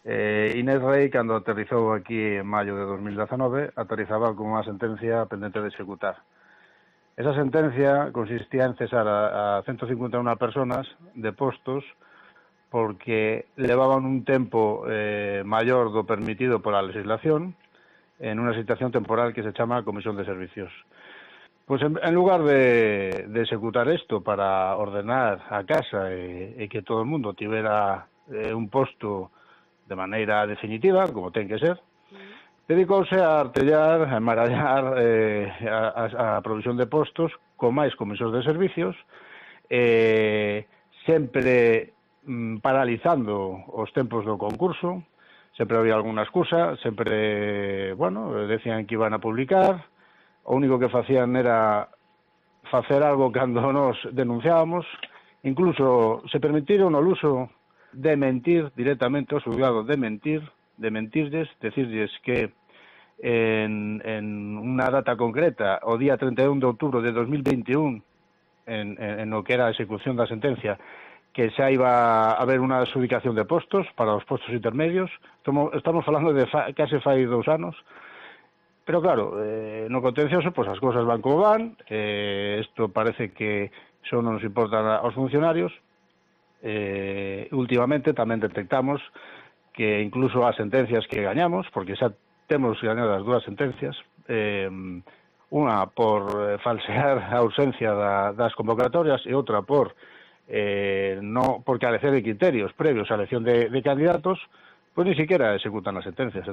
Inés Rei, cando aterrizou aquí en maio de 2019, aterrizaba con unha sentencia pendente de executar. Esa sentencia consistía en cesar a 151 personas de postos porque levaban un tempo maior do permitido pola legislación en unha situación temporal que se chama Comisión de Servicios. Pois en lugar de executar isto para ordenar a casa e que todo o mundo tivera un posto de maneira definitiva, como ten que ser, dedicouse a artellar, a embarallar a provisión de postos con máis comisións de servicios, sempre paralizando os tempos do concurso. Sempre había alguna excusa, sempre, decían que iban a publicar, o único que facían era facer algo cando nos denunciábamos, incluso se permitiron o uso de mentir directamente ao xulgado, de mentirlles, decirlles que en unha data concreta, o día 31 de outubro de 2021, en o que era a execución da sentencia, que xa iba a haber unha adxudicación de postos para os postos intermedios. Estamos falando de case fai 2 anos, pero claro, no contencioso, pois as cousas van como van, isto parece que só non nos importa aos funcionarios. Últimamente tamén detectamos que incluso as sentencias que gañamos, porque xa temos gañado as 2 sentencias, unha por falsear a ausencia das convocatorias e outra por carecer de criterios previos á elección de candidatos, pois ni siquiera executan as sentencias.